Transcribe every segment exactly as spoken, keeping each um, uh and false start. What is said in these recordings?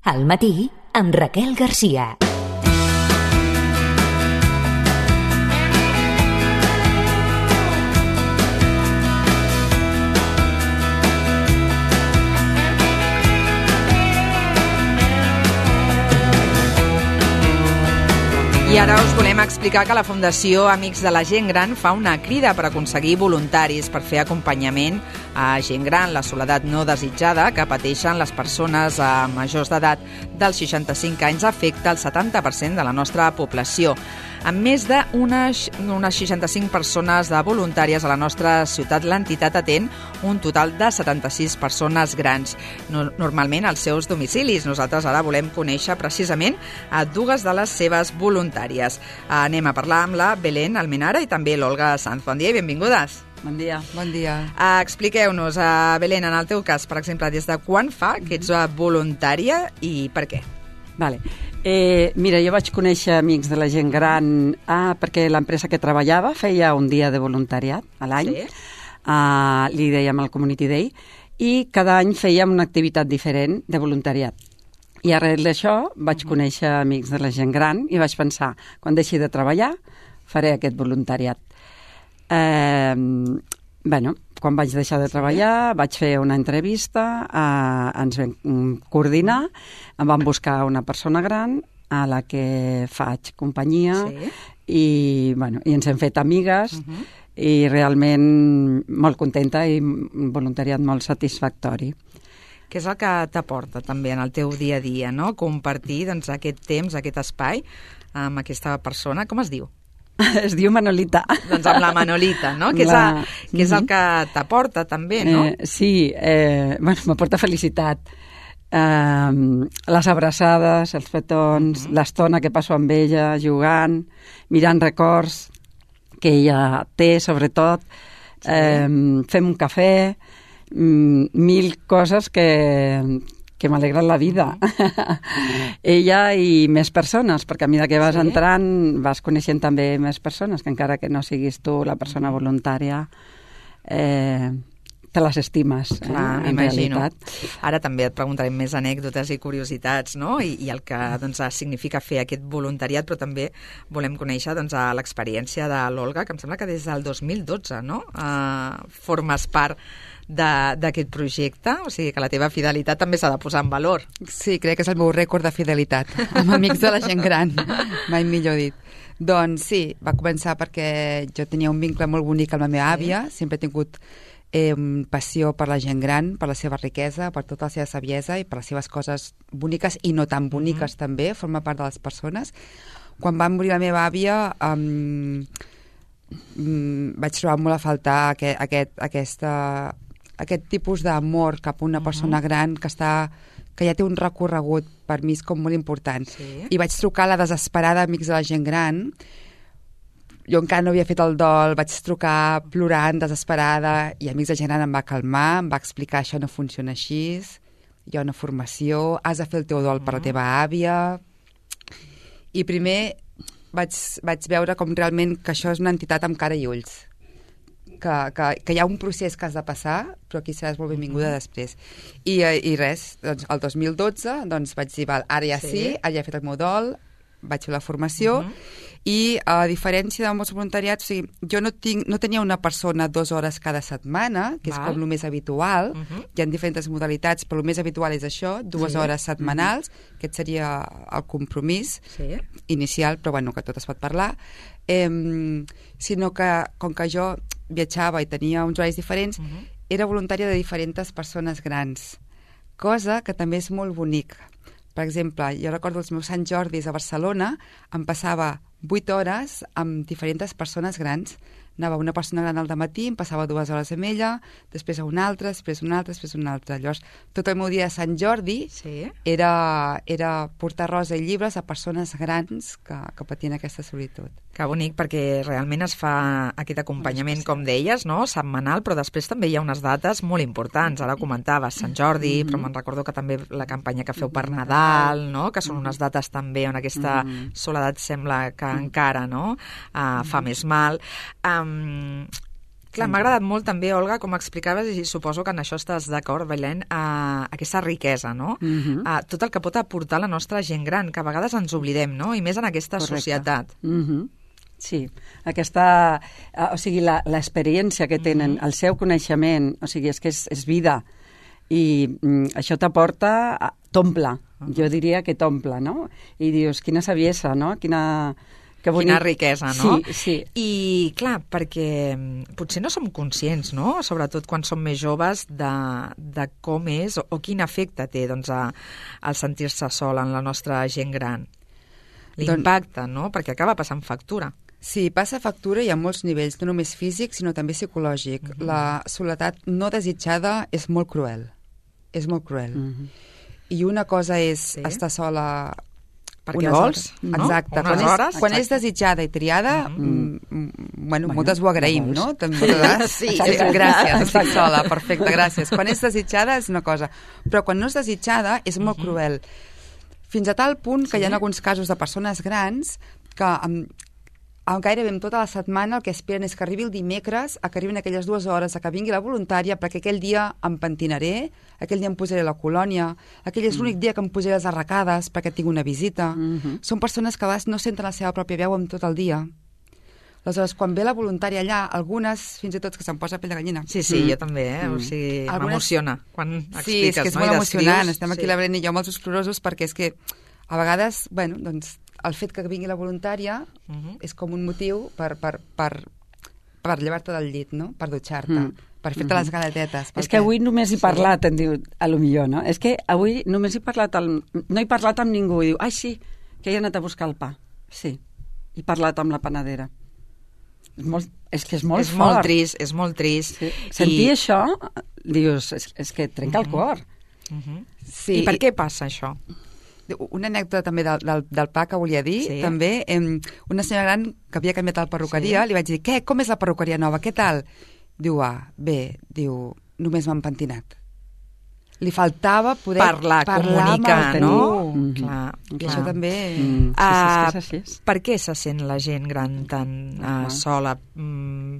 Al matí, amb Raquel Garcia. I ara us volem explicar que la Fundació Amics de la Gent Gran fa una crida per aconseguir voluntaris per fer acompanyament a gent gran, la soledat no desitjada que pateixen les persones a majors d'edat dels seixanta-cinc anys afecta el setanta per cent de la nostra població. Amb més d'unes unes seixanta-cinc persones de voluntàries a la nostra ciutat, l'entitat atén un total de setanta-sis persones grans, no, normalment als seus domicilis. Nosaltres ara volem conèixer precisament a dues de les seves voluntàries. Anem a parlar amb la Belén Almenara i també l'Olga Sanz. Bon dia i benvingudes. Bon dia. Bon dia. Uh, expliqueu-nos, uh, Belén, en el teu cas, per exemple, des de quan fa que ets voluntària i per què? Vale. Eh, mira, jo vaig conèixer Amics de la Gent Gran ah, perquè l'empresa que treballava feia un dia de voluntariat a l'any, sí. uh, li dèiem el Community Day, i cada any fèiem una activitat diferent de voluntariat. I arrel d'això vaig uh-huh. conèixer Amics de la Gent Gran i vaig pensar, quan deixi de treballar, faré aquest voluntariat. Eh, bueno, quan vaig deixar de treballar, vaig fer una entrevista, eh, ens vam coordinar, em van buscar una persona gran a la que faig companyia sí. i, bueno, i ens hem fet amigues uh-huh. i realment molt contenta i un voluntariat molt satisfactori. Què és el que t'aporta també en el teu dia a dia, no? Compartir doncs, aquest temps, aquest espai amb aquesta persona. Com es diu? Es diu Manolita. Doncs amb la Manolita, no? Que és, la... a, que és el que t'aporta també, no? Eh, sí, eh, bueno, m'aporta felicitat. Eh, les abraçades, els petons, uh-huh. l'estona que passo amb ella, jugant, mirant records que ella té, sobretot. Sí. Eh, fem un cafè, mil coses que... que m'alegren la vida. Mm. Ella i més persones, perquè a mesura que vas sí? entrant vas coneixent també més persones, que encara que no siguis tu la persona voluntària, eh, te les estimes. Clar, eh, m'imagino. Realitat. Ara també et preguntarem més anècdotes i curiositats, no? I, i el que doncs, significa fer aquest voluntariat, però també volem conèixer doncs, l'experiència de l'Olga, que em sembla que des del dos mil dotze no? Uh, formes part d'aquest projecte, o sigui que la teva fidelitat també s'ha de posar en valor. Sí, crec que és el meu rècord de fidelitat amb Amics de la Gent Gran, mai millor dit. Doncs sí, va començar perquè jo tenia un vincle molt bonic amb la meva àvia, sí. sempre he tingut eh, passió per la gent gran, per la seva riquesa, per tota la seva saviesa i per les seves coses boniques i no tan boniques mm-hmm. també, forma part de les persones. Quan va morir la meva àvia um, um, vaig trobar molt a faltar aquest, aquest, aquesta aquest tipus d'amor cap a una persona uh-huh. gran que està que ja té un recorregut, per mi és com molt important. Sí. I vaig trucar a la desesperada Amics de la Gent Gran. Jo encara no havia fet el dol, vaig trucar plorant, desesperada, i Amics de la Gent Gran em va calmar, em va explicar això no funciona així, hi ha una formació, has de fer el teu dol uh-huh. per la teva àvia. I primer vaig, vaig veure com realment que això és una entitat amb cara i ulls. Que, que, que hi ha un procés que has de passar, però aquí seràs molt benvinguda després. I, i res, doncs, el dos mil dotze doncs, vaig dir, val, ara ja sí, sí ara ja he fet el meu dol, vaig fer la formació, uh-huh. i a diferència de molts voluntariats, o sigui, jo no, tinc, no tenia una persona dues hores cada setmana, que és val. Com el més habitual, uh-huh. hi ha diferents modalitats, però el més habitual és això, dues sí. hores setmanals, uh-huh. aquest seria el compromís sí. inicial, però bueno, que tot es pot parlar, eh, sinó que com que jo viatjava i tenia uns horaris diferents, uh-huh. era voluntària de diferents persones grans, cosa que també és molt bonic. Per exemple, jo recordo els meus Sant Jordis a Barcelona, em passava vuit hores amb diferents persones grans. Anava una persona gran al dematí, em passava dues hores amb ella, després a una altra, després una altra, després una altra. Llavors, tot el meu dia de Sant Jordi sí. era, era portar rosa i llibres a persones grans que, que patien aquesta solitud. Que bonic, perquè realment es fa aquest acompanyament, com deies, no? Setmanal, però després també hi ha unes dates molt importants. Ara comentaves Sant Jordi, mm-hmm. però me'n recordo que també la campanya que feu per Nadal, no? Que són unes dates també on aquesta mm-hmm. soledat sembla que encara no? uh, fa més mal. Um, Clar, m'ha agradat molt també, Olga, com explicaves, i suposo que en això estàs d'acord, Belén, uh, aquesta riquesa, no? Uh-huh. Uh, tot el que pot aportar la nostra gent gran, que a vegades ens oblidem, no? I més en aquesta Correcte. societat. Uh-huh. Sí, aquesta, uh, o sigui, l'experiència que tenen, uh-huh. el seu coneixement, o sigui, és que és, és vida, i mm, això t'aporta, t'omple, uh-huh. jo diria que t'omple, no? I dius, quina saviesa, no? Quina... Que Quina riquesa, no? Sí, sí. I, clar, perquè potser no som conscients, no?, sobretot quan som més joves, de, de com és o, o quin efecte té, doncs, a, el sentir-se sol en la nostra gent gran. L'impacte, doncs... no?, perquè acaba passant factura. Sí, passa factura i a molts nivells, no només físic, sinó també psicològic. Uh-huh. La soledat no desitjada és molt cruel. És molt cruel. Uh-huh. I una cosa és sí. estar sola... Perquè vols, no? Exacte. Unes quan és, hores. Quan Exacte. és desitjada i triada, mm. Mm, bueno, bueno, moltes ho agraïm, no? També, sí, és, gràcies, estic sola, perfecte, gràcies. Quan és desitjada és una cosa, però quan no és desitjada és molt mm-hmm. cruel. Fins a tal punt que sí. hi ha alguns casos de persones grans que amb, amb gairebé amb tota la setmana el que esperen és que arribi el dimecres, a que arribin aquelles dues hores, a que vingui la voluntària, perquè aquell dia em pentinaré, aquell dia em posaré la colònia, aquell és mm. l'únic dia que em posaré les arracades perquè tinc una visita. Mm-hmm. Són persones que a vegades no senten la seva pròpia veu amb tot el dia. Aleshores, quan ve la voluntària allà, algunes, fins i tot que se'm posa pell de gallina. Sí, sí, mm. jo també, eh? O sigui, algunes... m'emociona quan expliques, sí, és que és no? molt emocionant. Estem aquí sí. la Belén i jo molt esclorosos perquè és que a vegades, bueno, doncs el fet que vingui la voluntària uh-huh. és com un motiu per, per, per, per llevar-te del llit, no? Per dutxar-te, mm. per fer-te uh-huh. les galetetes. És que avui només he parlat, em diu, a lo millor, no? És que avui només he parlat, al... no he parlat amb ningú, i diu, ai, sí, que he anat a buscar el pa. Sí, he parlat amb la panadera. És, molt, és que és molt és fort. Molt trist, és molt trist. Sí. Sentir I... això, dius, és, és que trenca uh-huh. el cor. Uh-huh. Sí. I per què passa això? Una anècdota també del, del, del pa que volia dir, sí. també, eh, una senyora gran que havia canviat la perruqueria, sí. li vaig dir, què, com és la perruqueria nova, què tal? Diu, ah, bé, diu, només m'han pentinat. Li faltava poder parlar, parlar comunicar, no? Mm-hmm. Clar, I clar. això també... Mm, sí, sí, sí, és així. Uh, per què se sent la gent gran tan uh, uh-huh. sola? Mm,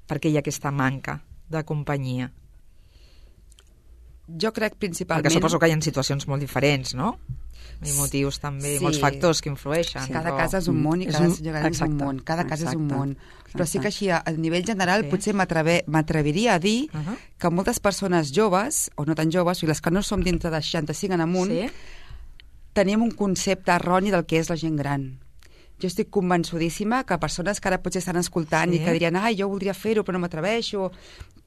per què hi ha aquesta manca de companyia? Jo crec principalment... Perquè suposo que hi ha situacions molt diferents, no? I motius també, sí. molts factors que influeixen. Sí. Cada però... casa és un món i cada un... és un món. Cada casa Exacte. és un món. Exacte. Però sí que així, a nivell general, sí. potser m'atreviria a dir uh-huh. que moltes persones joves, o no tan joves, i les que no som dintre de seixanta-cinc en amunt, sí. tenim un concepte erroni del que és la gent gran. Jo estic convençudíssima que persones que ara potser estan escoltant sí. i que dirien, ai, jo voldria fer-ho però no m'atreveixo,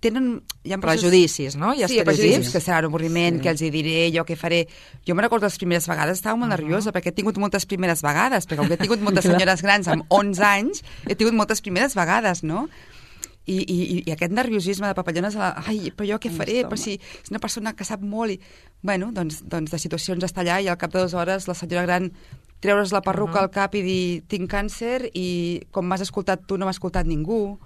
tenen... Hi ha prejudicis, no? Hi ha sí, prejudicis, que serà un avorriment, sí. que els hi diré, jo què faré... Jo me recordo les primeres vegades, estava molt uh-huh. nerviosa, perquè he tingut moltes primeres vegades, perquè com que he tingut moltes senyores grans amb onze anys, he tingut moltes primeres vegades, no? I, i, i aquest nerviosisme de papallones, la, ai, però jo què faré? Però si és una persona que sap molt i... Bueno, doncs, doncs de situacions està allà i al cap de dues hores la senyora gran treure's la perruca uh-huh. al cap i dir tinc càncer i com m'has escoltat tu no m'ha escoltat ningú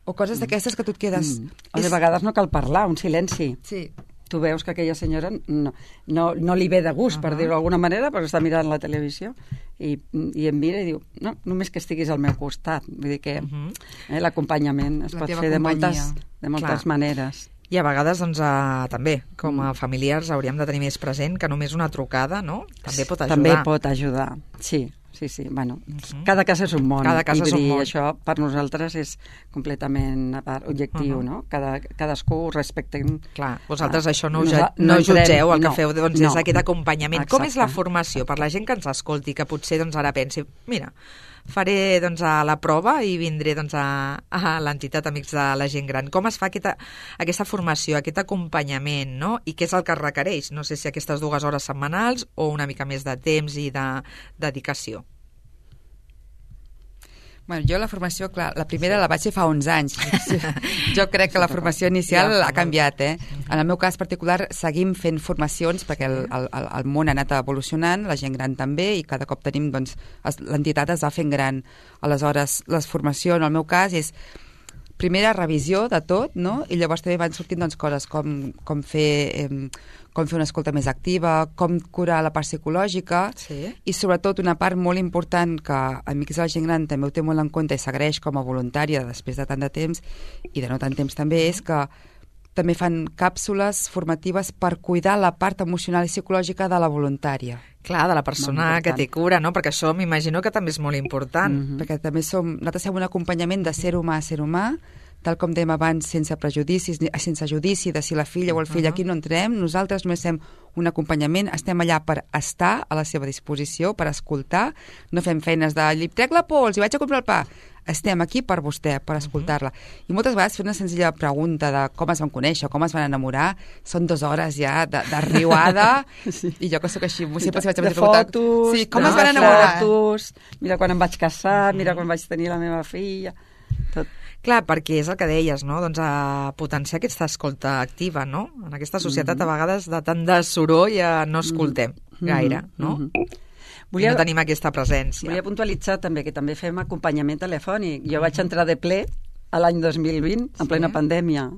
o coses mm. d'aquestes que tu et quedes... Mm. O de vegades no cal parlar, un silenci. Sí. Tu veus que aquella senyora no, no, no li ve de gust, uh-huh. per dir-ho d'alguna manera, perquè està mirant la televisió i, i em mira i diu, no, només que estiguis al meu costat. Vull dir que uh-huh. eh, l'acompanyament es la pot fer de moltes, de moltes Clar. maneres. I a vegades, doncs, uh, també, com a familiars, hauríem de tenir més present que només una trucada, no? També pot ajudar. També pot ajudar, sí. Sí, sí, bueno, uh-huh. cada casa és un món. Cada casa i és un món. Això per nosaltres és completament a part, objectiu, uh-huh. no? Cada, cadascú respectem... Clar, vosaltres ah, això no, no, no, no jutgeu, el no, que feu doncs, no. és aquest acompanyament. Exacte. Com és la formació? Per la gent que ens escolti, que potser doncs, ara pensi, mira, faré doncs, a la prova i vindré doncs, a, a l'entitat Amics de la Gent Gran. Com es fa aquesta, aquesta formació, aquest acompanyament, no? I què és el que es requereix? No sé si aquestes dues hores setmanals o una mica més de temps i de dedicació. Bueno, jo la formació, clar, la primera la vaig fer fa onze anys. Jo crec que la formació inicial ha canviat, eh? En el meu cas particular seguim fent formacions perquè el, el, el món ha anat evolucionant, la gent gran també, i cada cop tenim, doncs, l'entitat es va fent gran. Aleshores, la formació, en el meu cas, és primera revisió de tot, no? I llavors també van sortint doncs, coses com, com, fer, eh, com fer una escolta més activa, com curar la part psicològica, sí. i sobretot una part molt important que Amics de la Gent Gran també ho té molt en compte i s'agraeix com a voluntària després de tant de temps i de no tant temps també, és que també fan càpsules formatives per cuidar la part emocional i psicològica de la voluntària. Clar, de la persona que té cura, no? Perquè això m'imagino que també és molt important. Mm-hmm. Perquè també som, nosaltres fem un acompanyament de ser humà a ser humà, tal com dèiem abans, sense prejudicis, sense judici de si la filla o el fill, uh-huh. aquí no entrem, nosaltres només fem un acompanyament, estem allà per estar a la seva disposició, per escoltar, no fem feines de li trec la pols i vaig a comprar el pa. Estem aquí per vostè, per escoltar-la. I moltes vegades fer una senzilla pregunta de com es van conèixer, com es van enamorar, són dues hores ja de, de riuada, sí. I jo que sóc així, sempre si vaig a de fotos, sí, com de es van enamorar? Fotos, mira quan em vaig casar, mira quan vaig tenir la meva filla, tot. Clar, perquè és el que deies, no? Doncs a potenciar aquesta escolta activa, no? En aquesta societat, mm-hmm. a vegades, de tant de soroll ja no escoltem mm-hmm. gaire, no? Mm-hmm. Volia, no tenim aquesta presència. Volia puntualitzar també que també fem acompanyament telefònic. Jo vaig entrar de ple a l'any dos mil vint, en sí. plena pandèmia.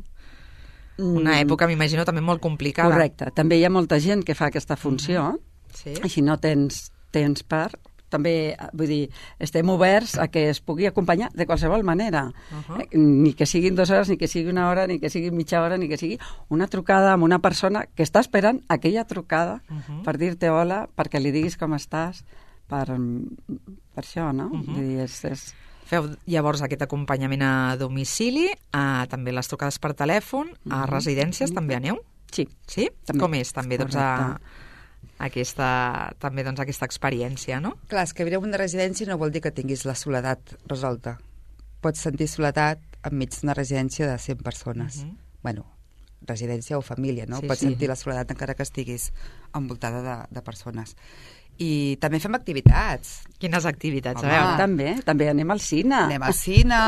Una època, m'imagino, també molt complicada. Correcte. També hi ha molta gent que fa aquesta funció. Sí. Així no tens temps per... També, vull dir, estem oberts a que es pugui acompanyar de qualsevol manera. Uh-huh. Ni que siguin dues hores, ni que sigui una hora, ni que sigui mitja hora, ni que sigui una trucada amb una persona que està esperant aquella trucada uh-huh. per dir-te hola, perquè li diguis com estàs, per, per això, no? Uh-huh. Vull dir, és, és... Feu llavors aquest acompanyament a domicili, a, també les trucades per telèfon, a uh-huh. residències també aneu? Sí. Sí? També. Com és també, doncs, a... aquesta, també doncs, aquesta experiència, no? Clar, és que viure en una residència no vol dir que tinguis la soledat resolta. Pots sentir soledat enmig d'una residència de cent persones. Uh-huh. Bueno, residència o família, no? Sí, Pots sí. sentir la soledat encara que estiguis envoltada de, de persones. I també fem activitats. Quines activitats? Home, a veure. També, també anem al cine. Anem al cine...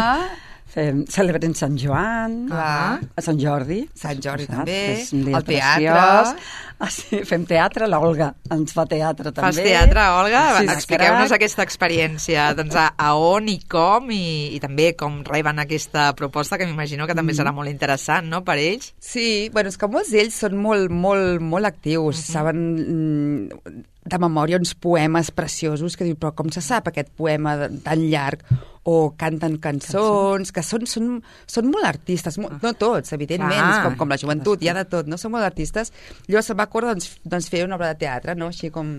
Fem, celebrem Sant Joan, Clar. a Sant Jordi. Sant Jordi saps? també, És un dia el teatre. preciós. Ah, sí, fem teatre, l'Olga ens fa teatre també. Fas teatre, Olga? Sí, expliqueu-nos aquesta experiència, doncs a, a on i com, i, i també com reben aquesta proposta, que m'imagino que també serà molt interessant, no?, per ells. Sí, bueno, és que molts d'ells són molt, molt, molt actius, uh-huh. saben mm, de memòria uns poemes preciosos que diu, però com se sap aquest poema tan llarg? O canten cançons, que són, són, són molt artistes, molt, no tots, evidentment, ah, com, com la joventut, hi ha de tot, no? Són molt artistes. Llavors se'm va córrer doncs, doncs, fer una obra de teatre, no? Així com...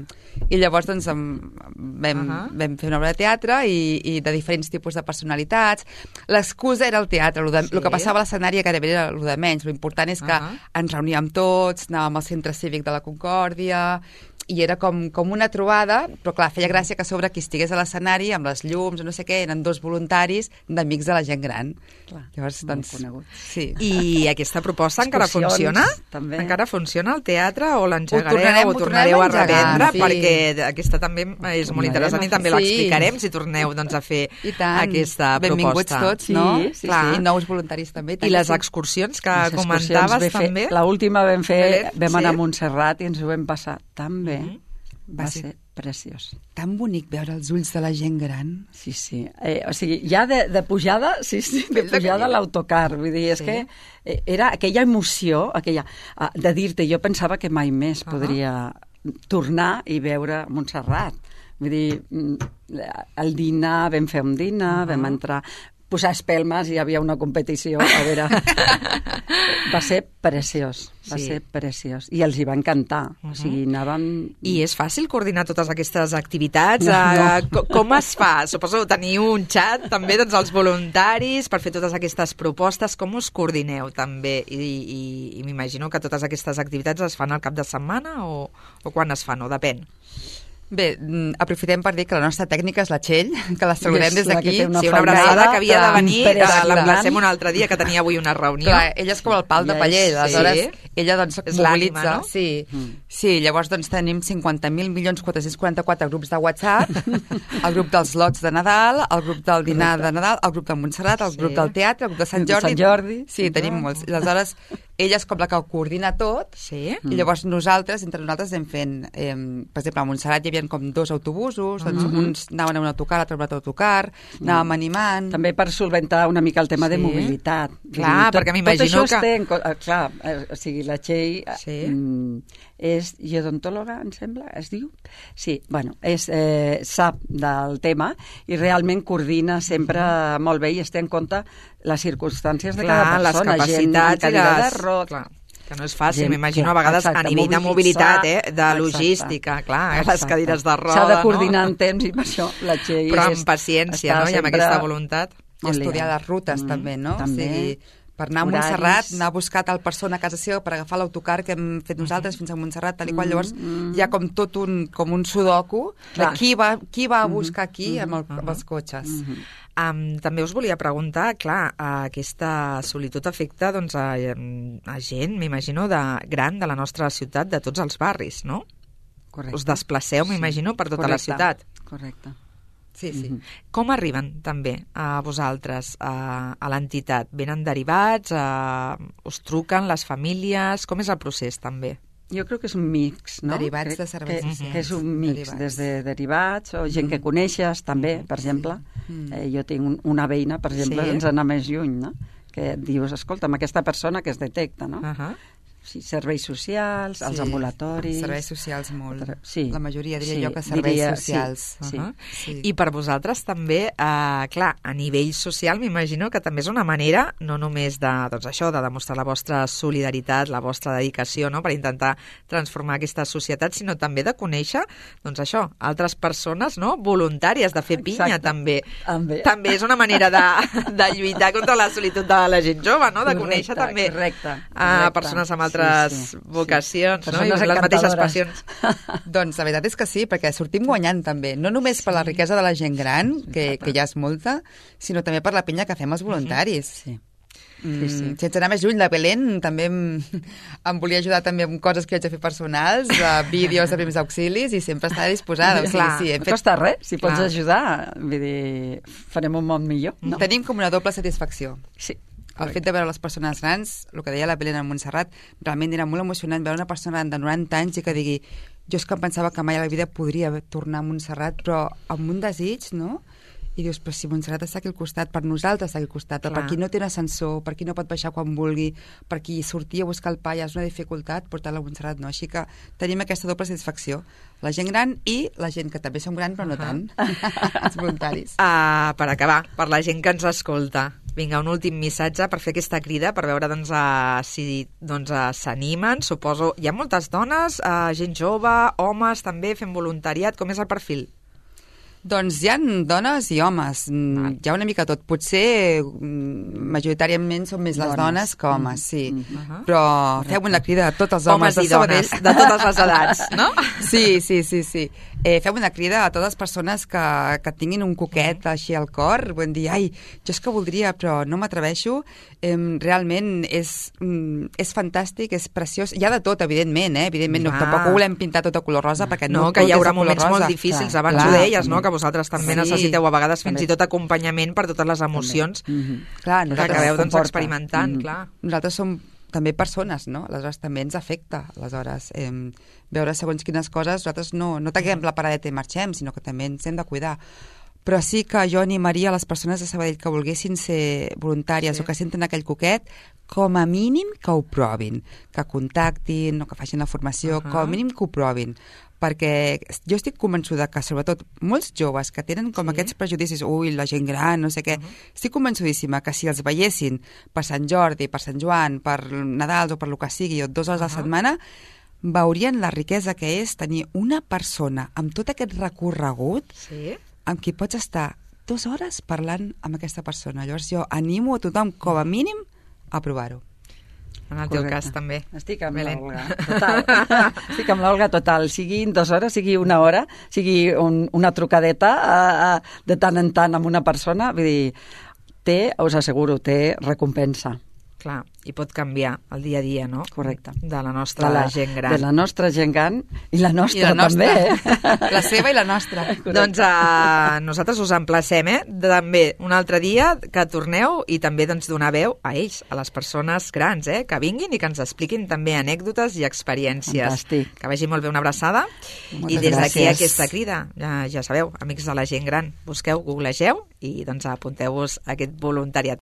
I llavors doncs, em, vam, uh-huh. vam fer una obra de teatre i, i de diferents tipus de personalitats. L'excusa era el teatre, el, de, sí. el que passava a l'escenari gairebé era el de menys. L'important és que uh-huh. ens reuníem tots, anàvem al centre cívic de la Concòrdia, i era com, com una trobada, però clar, feia gràcia que a sobre qui estigués a l'escenari amb les llums, no sé què, eren dos voluntaris d'Amics de la Gent Gran. Clar, llavors, doncs, conegut. Sí. I aquesta proposta encara funciona? També. Encara funciona el teatre o l'engegareu Ho tornarem, o tornareu ho a reprendre? sí. Perquè aquesta també és molt interessant i també sí. l'explicarem si torneu doncs, a fer I tant. aquesta Benvinguts proposta. tots, no? Sí, sí, clar. sí. Nous voluntaris també. I les excursions que Les comentaves excursions també? L'última vam fer, Belén, vam anar sí. a Montserrat i ens ho vam passar tan bé. Mm-hmm. Va sí. ser preciós. Tan bonic veure els ulls de la gent gran. Sí, sí. Eh, o sigui, ja de, de pujada, sí, sí, de pujada a l'autocar. Vull dir, és sí. que eh, era aquella emoció, aquella, uh, de dir-te, jo pensava que mai més uh-huh. podria tornar i veure Montserrat. Vull dir, el dinar, vam fer un dinar, uh-huh. vam entrar... posar espelmes i hi havia una competició. A veure, va ser preciós, va sí. ser preciós. I els hi va encantar. Uh-huh. O sigui, anàvem... I és fàcil coordinar totes aquestes activitats? No, no. Com es fa? Suposo que teniu un xat també doncs, els voluntaris per fer totes aquestes propostes. Com us coordineu també? I, i, i m'imagino que totes aquestes activitats es fan al cap de setmana o, o quan es fan, o depèn? Bé, aprofitem per dir que la nostra tècnica és la Txell, que la saludem des d'aquí. Sí, una abraçada que havia de venir, l'emplacem un altre dia, que tenia avui una reunió. Clar, ella és com el pal de paller, aleshores sí. ella doncs és mobilitza. No? Sí. Mm. sí, llavors doncs tenim cinquanta mil milions quatre-cents quaranta-quatre grups de WhatsApp, el grup dels lots de Nadal, el grup del dinar de Nadal, el grup de Montserrat, el grup sí. del teatre, el grup de Sant Jordi. Sant Jordi. Sí, tenim molts. Aleshores, ella és com la que ho coordina tot, sí. i llavors nosaltres, entre nosaltres anem fent, eh, per exemple, a Montserrat hi havia com dos autobusos, doncs uh-huh. uns anaven a un autocar, l'altre a un altre autocar, anàvem animant... També per solventar una mica el tema sí. de mobilitat. Clar, tot, perquè m'imagino que... Tot això que... Té en... Clar, o sigui, la Txell sí. és geodontòloga, em sembla, es diu? Sí, bueno, és, eh, sap del tema i realment coordina sempre molt bé i es té en compte les circumstàncies de clar, cada persona. Les capacitats gent i les... de roc, clar, que no és fàcil, gent, m'imagino a vegades exacte, a nivell de mobilitat, eh, de exacte, logística, clar, exacte. Les cadires de roda, s'ha de coordinar no? en temps i per això la Txell però amb paciència, no? I amb aquesta voluntat. I estudiar les rutes, mm, també, no? També. O sigui, per anar a Montserrat, anar a buscar tal persona a casa seva per agafar l'autocar que hem fet nosaltres fins a Montserrat, tal i qual. Llavors mm. hi ha com tot un, com un sudoku de qui va, qui va a buscar aquí mm-hmm. amb, el, amb els cotxes. Mm-hmm. Um, també us volia preguntar, clar, aquesta solitud afecta doncs, a, a gent, m'imagino, de gran de la nostra ciutat, de tots els barris, no? Correcte. Us desplaceu, m'imagino, per tota Correcte. la ciutat. Correcte. Sí, sí. Mm-hmm. Com arriben també a vosaltres, a, a l'entitat? Venen derivats? A, us truquen les famílies? Com és el procés també? Jo crec que és un mix, no? Derivats crec de serveis que, socials. que és un mix, derivats. des de derivats o gent que coneixes també, per exemple. Mm. Eh, jo tinc un, una veïna, per exemple, Sí. ens anar més lluny, no? Que et dius, escolta, amb aquesta persona que es detecta, no? Uh -huh. Sí, serveis socials, Sí. els ambulatoris... Serveis socials molt. Sí. La majoria diria Sí, jo que serveis diria, socials. Sí, Uh -huh. sí. I per vosaltres també, eh, clar, a nivell social m'imagino que també és una manera no només de, doncs això, de demostrar la vostra solidaritat, la vostra dedicació, no?, per intentar transformar aquesta societat, sinó també de conèixer, doncs això, altres persones, no?, voluntàries, de fer pinya. Exacte. també. També. També és una manera de, de lluitar contra la solitud de la gent jove, no?, de Correcte, conèixer també correcte, a correcte. persones amb altres Sí, sí, vocacions, sí. no?, i Persones les mateixes encantadores. passions. Doncs la veritat és que sí, perquè sortim guanyant també, no només per la riquesa de la gent gran, que, que ja és molta, sinó també per la pinya que fem els voluntaris. Sí. Mm, Sí, sí. Sense anar més lluny, la Belén també em, em volia ajudar també amb coses que haig de fer personals, uh, vídeos de primers auxilis, i sempre està disposada. O sigui, Clar, sí, hem No fet... costa res, si pots Clar. ajudar, vull dir, farem un món millor. No? Tenim com una doble satisfacció. Sí. El fet de veure les persones grans, el que deia la Belén a Montserrat, realment era molt emocionant veure una persona de noranta anys i que digui, jo és que em pensava que mai a la vida podria tornar a Montserrat, però amb un desig, no? I dius, però si Montserrat està aquí al costat, per nosaltres està aquí al costat, Clar. per qui no té un ascensor, per qui no pot baixar quan vulgui, per qui sortir a buscar el pa ja és una dificultat, portar-la a Montserrat no. Així que tenim aquesta doble satisfacció, la gent gran i la gent que també som gran, però no tant, els voluntaris. Uh, per acabar, per la gent que ens escolta, vinga, un últim missatge per fer aquesta crida, per veure doncs, uh, si doncs, uh, s'animen, suposo. Hi ha moltes dones, uh, gent jove, homes també fent voluntariat, com és el perfil? Doncs hi ha dones i homes, Val. hi ha una mica tot. Potser mm, majoritàriament són més les Dones. dones que homes, sí. Mm. Uh-huh. Però fem una crida a tots els homes, Homes i de Sabadell. dones, de totes les edats, no? Sí, sí, sí, sí. Eh, fem una crida a totes les persones que, que tinguin un coquet així al cor, vull dir, ai, jo és que voldria, però no m'atreveixo. Eh, realment és, mm, és fantàstic, és preciós. Hi ha de tot, evidentment, eh? Evidentment, no, Va. tampoc ho volem pintar tot a color rosa, perquè no, No, que tot hi haurà és de color moments rosa. molt difícils, Clar, abans clar, ho deies, no?, també. que vosaltres també Sí. necessiteu a vegades fins També. i tot acompanyament per totes les emocions Mm-hmm. Clar, que nosaltres acabeu doncs, comporta. experimentant, Mm. clar. nosaltres som també persones, no? Aleshores també ens afecta, aleshores, eh, veure segons quines coses, nosaltres no, no tanquem la paradeta i marxem, sinó que també ens hem de cuidar. Però sí que jo animaria a les persones de Sabadell que volguessin ser voluntàries Sí. o que senten aquell coquet, com a mínim que ho provin, que contactin o que facin la formació, Uh-huh. com a mínim que ho provin, perquè jo estic convençuda que sobretot molts joves que tenen com Sí. aquests prejudicis, ui, la gent gran, no sé què, Uh-huh. estic convençudíssima que si els veiessin per Sant Jordi, per Sant Joan, per Nadal o per lo que sigui, o dues hores uh-huh. a la setmana, veurien la riquesa que és tenir una persona amb tot aquest recorregut Sí. amb qui pots estar dues hores parlant amb aquesta persona. Llavors jo animo a tothom, com a mínim, a provar-ho. En el teu Correcte. cas també. Estic amb Belén. l'Olga, total. Estic amb l'Olga total. Siguin dues hores, sigui una hora, sigui un, una trucadeta a, a, de tant en tant amb una persona, vull dir, té, us asseguro, té recompensa. Clar, i pot canviar el dia a dia, no? Correcte. De la nostra de la, gent gran. De la nostra gent gran i la nostra, I la nostra. també. Eh? La seva i la nostra. Correcte. Doncs uh, nosaltres us emplacem, eh? També un altre dia que torneu i també doncs, donar veu a ells, a les persones grans, eh? Que vinguin i que ens expliquin també anècdotes i experiències. Fantàstic. Que vagi molt bé, una abraçada. Moltes I des d'aquí gràcies. aquesta crida, ja, ja sabeu, amics de la gent gran, busqueu, googlegeu i doncs apunteu-vos a aquest voluntariat.